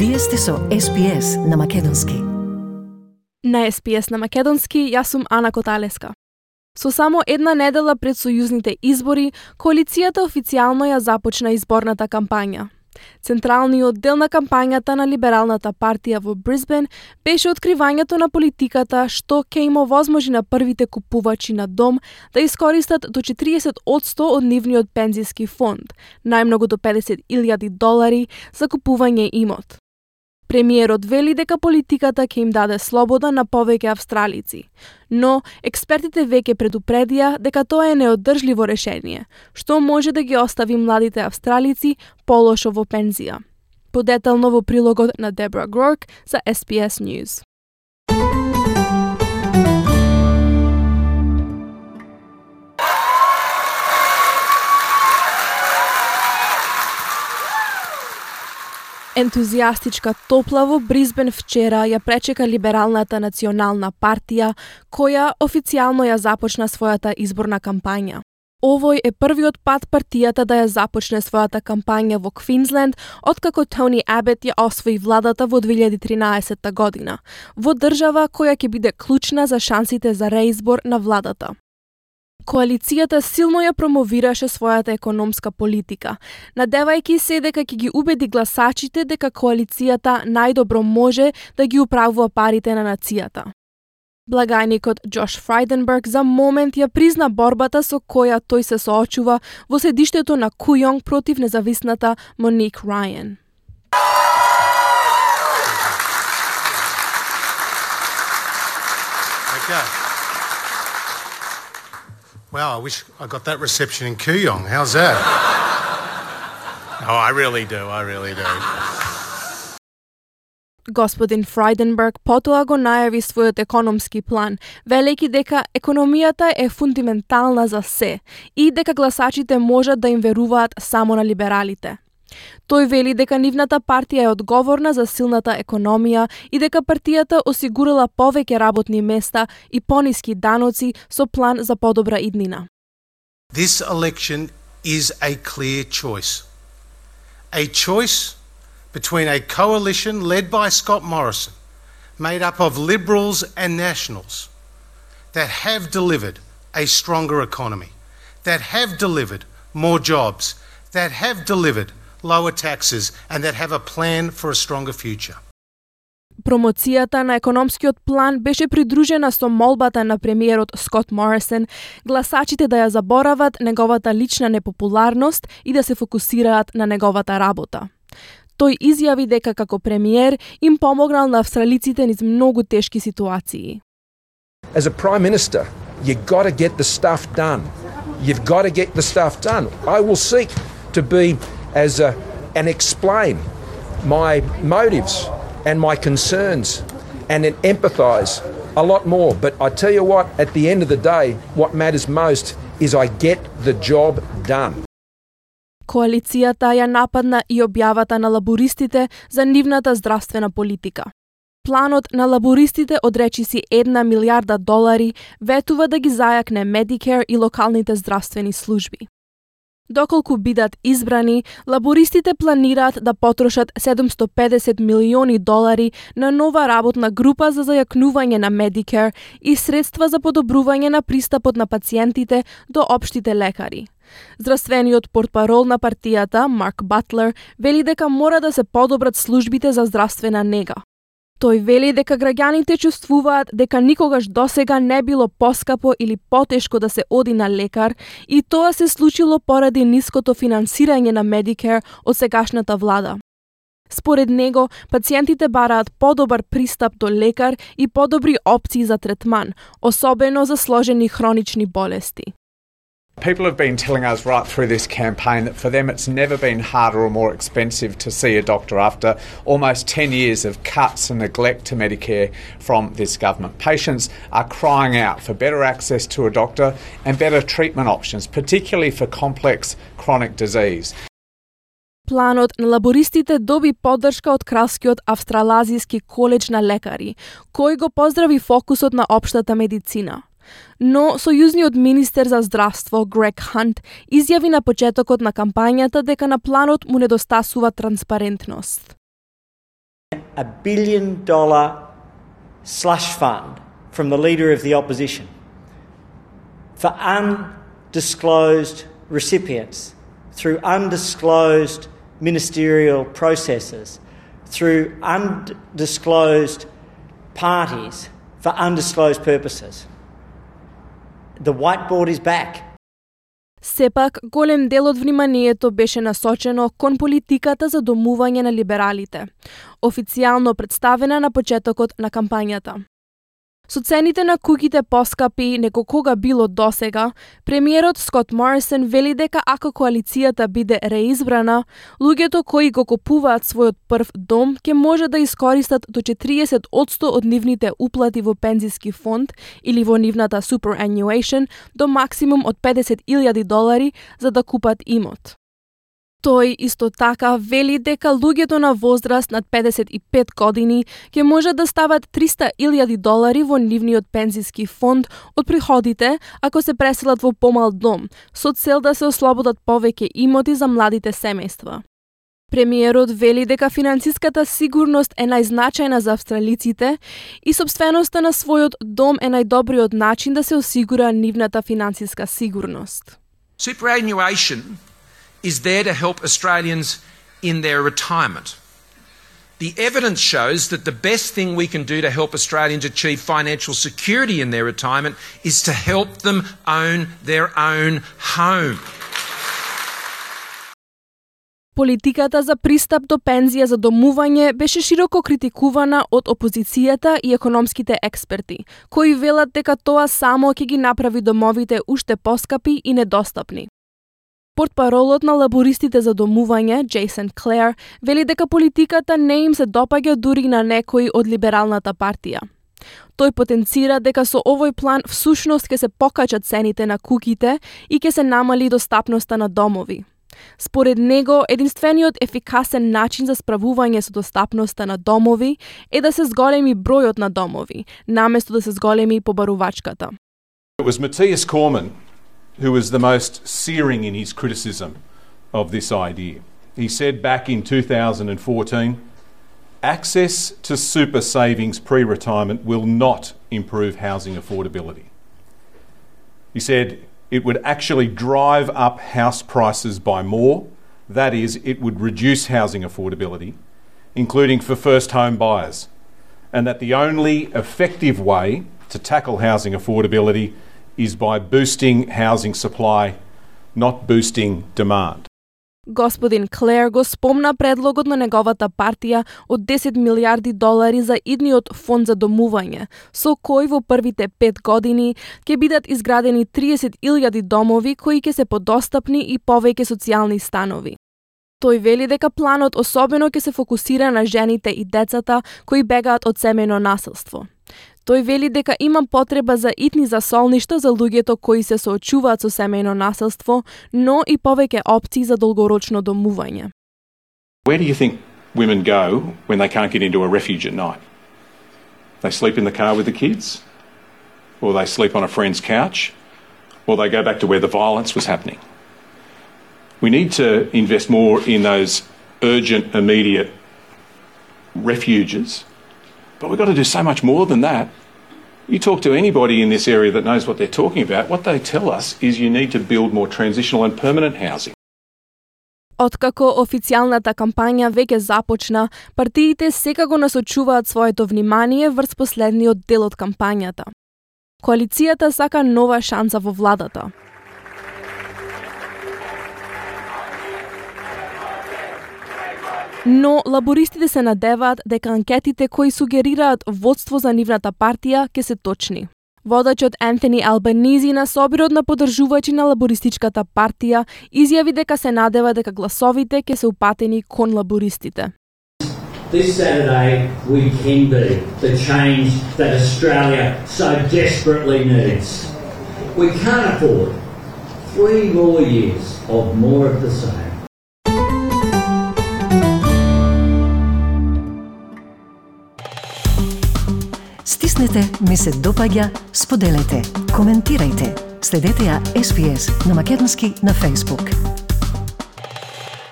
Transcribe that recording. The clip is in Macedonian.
Вие сте со SPS на Македонски. На SPS на Македонски, јас сум Ана Коталеска. Со само една недела пред сојузните избори, коалицијата официјално ја започна изборната кампања. Централниот дел на кампањата на Либералната партија во Брисбен беше откривањето на политиката што ќе им овозможи на првите купувачи на дом да искористат до 40% од нивниот пензиски фонд, најмногу до $50,000 за купување имот. Премиерот вели дека политиката ќе им даде слобода на повеќе австралици, но експертите веќе предупредија дека тоа е неодржливо решение, што може да ги остави младите австралици полошо во пензија. Подетално во прилогот на Дебра Грорк за SPS News. Ентузијастичка топла во Брисбен вчера ја пречека Либералната национална партија, која официјално ја започна својата изборна кампања. Овој е првиот пат партијата да ја започне својата кампања во Квинсленд, откако Тони Абет ја освои владата во 2013 година, во држава која ќе биде клучна за шансите за реизбор на владата. Коалицијата силно ја промовираше својата економска политика, надевајќи се дека ќе ги убеди гласачите дека коалицијата најдобро може да ги управува парите на нацијата. Благајникот Джош Фрайденберг за момент ја призна борбата со која тој се соочува во седиштето на Кујонг против независната Моник Рајан. Wow, I wish I got that reception in Kooyong. How's that? Oh, I really do. Господин Фрайденберг потоа го најави својот економски план, велејќи дека економијата е фундаментална за се и дека гласачите можат да им веруваат само на либералите. Тој вели дека нивната партија е одговорна за силната економија и дека партијата осигурила повеќе работни места и пониски даноци со план за подобра иднина. This election is a clear choice. A choice between a coalition led by Scott Morrison, made up of Liberals and Nationals, that have delivered a stronger economy, that have delivered more jobs, that have delivered lower taxes and that have a plan for a stronger future. Промоцијата на економскиот план беше придружена со молбата на премиерот Скот Морисон гласачите да ја заборават неговата лична непопуларност и да се фокусираат на неговата работа. Тој изјави дека како премиер им помогнал на австралиците низ многу тешки ситуации. As a Prime Minister, you got to get the stuff done. You've got to get the stuff done. I will seek to be and explain my motives and my concerns and empathise a lot more. But I tell you what, at the end of the day, what matters most is I get the job done. Коалицијата ја нападна и објавата на лабористите за нивната здравствена политика. Планот на лабористите од речиси $1 милиарда ветува да ги зајакне Medicare и локалните здравствени служби. Доколку бидат избрани, лабористите планираат да потрошат $750 милиони на нова работна група за зајакнување на Medicare и средства за подобрување на пристапот на пациентите до општите лекари. Здравствениот портпарол на партијата, Марк Батлер, вели дека мора да се подобрат службите за здравствена нега. Тој вели дека граѓаните чувствуваат дека никогаш досега не било поскапо или потешко да се оди на лекар и тоа се случило поради ниското финансирање на Medicare од сегашната влада. Според него, пациентите бараат подобар пристап до лекар и подобри опции за третман, особено за сложени хронични болести. People have been telling us right through this campaign that for them it's never been harder or more expensive to see a doctor after almost 10 years of cuts and neglect to Medicare from this government. Patients are crying out for better access to a doctor and better treatment options, particularly for complex chronic disease. Планот на лабористите доби поддршка од Кралскиот австралазиски коледж на лекари, кој го поздрави фокусот на општата медицина. Но сојузниот министер за здравство Грег Хант изјави на почетокот на кампањата дека на планот му недостасува транспарентност. $1 billion slush fund from the Leader of the Opposition for undisclosed recipients through undisclosed ministerial processes, through undisclosed parties for undisclosed purposes. The whiteboard is back. Сепак, голем дел од вниманието беше насочено кон политиката за домување на либералите, официјално представена на почетокот на кампањата. Со цените на куќите поскапи неко кога било досега, премиерот Скот Морисон вели дека ако коалицијата биде реизбрана, луѓето кои го купуваат својот прв дом ќе може да искористат до 40% од нивните уплати во пензиски фонд или во нивната superannuation до максимум од $50,000 за да купат имот. Тој исто така вели дека луѓето на возраст над 55 години ќе може да стават $300,000 во нивниот пензиски фонд од приходите ако се преселат во помал дом, со цел да се ослободат повеќе имоти за младите семејства. Премиерот вели дека финансиската сигурност е најзначајна за австралиците и сопственоста на својот дом е најдобриот начин да се осигура нивната финансиска сигурност. Superannuation is there to help Australians in their retirement. The evidence shows that the best thing we can do to help Australians achieve financial security in their retirement is to help them own their own home. Политиката за пристап до пензија за домување беше широко критикувана од опозицијата и економските експерти, кои велат дека тоа само ќе ги направи домовите уште поскапи и недостапни. Портпаролот на лабористите за домување, Джейсон Клер, вели дека политиката не им се допаѓа дури на некои од либералната партија. Тој потенцира дека со овој план всушност ќе се покачат цените на куќите и ќе се намали достапноста на домови. Според него, единствениот ефикасен начин за справување со достапноста на домови е да се зголеми бројот на домови, наместо да се зголеми побарувачката. It was Matthias Cormann who was the most searing in his criticism of this idea. He said back in 2014, access to super savings pre-retirement will not improve housing affordability. He said it would actually drive up house prices by more. That is, it would reduce housing affordability, including for first home buyers, and that the only effective way to tackle housing affordability is by boosting housing supply, not boosting demand. Господин Клер го спомна предлогот на неговата партија од $10 милиарди за идниот фонд за домување, со кој во првите 5 години ќе бидат изградени 30,000 домови кои ќе се подостапни и повеќе социјални станови. Тој вели дека планот особено ќе се фокусира на жените и децата кои бегаат од семејно насилство. Тој вели дека има потреба за итни засолништа за луѓето кои се соочуваат со семејно насилство, но и повеќе опции за долгорочно домување. Where do you think women go when they can't get into a refuge at night? They sleep in the car with the kids, or they sleep on a friend's couch, or they go back to where the violence was happening. We need to invest more in those urgent, immediate refuges. But we've got to do so much more than that. You talk to anybody in this area that knows what they're talking about, what they tell us is you need to build more transitional and permanent housing. Откако официјалната кампања веќе започна, партиите сега го насочуваат своето внимание врз последниот дел од кампањата. Коалицијата сака нова шанса во владата. Но лабористите се надеваат дека анкетите кои сугерираат водство за нивната партија ќе се точни. Водачот Антони Албанизи на собирот на поддржувачи на лабористичката партија изјави дека се надева дека гласовите ќе се упатени кон лабористите. This Saturday we can be the change that Australia so desperately needs. We can't afford 3 more years of more of the same. Стиснете, ми се допаѓа, споделете, коментирајте. Следете ја SPS на Македонски на Facebook.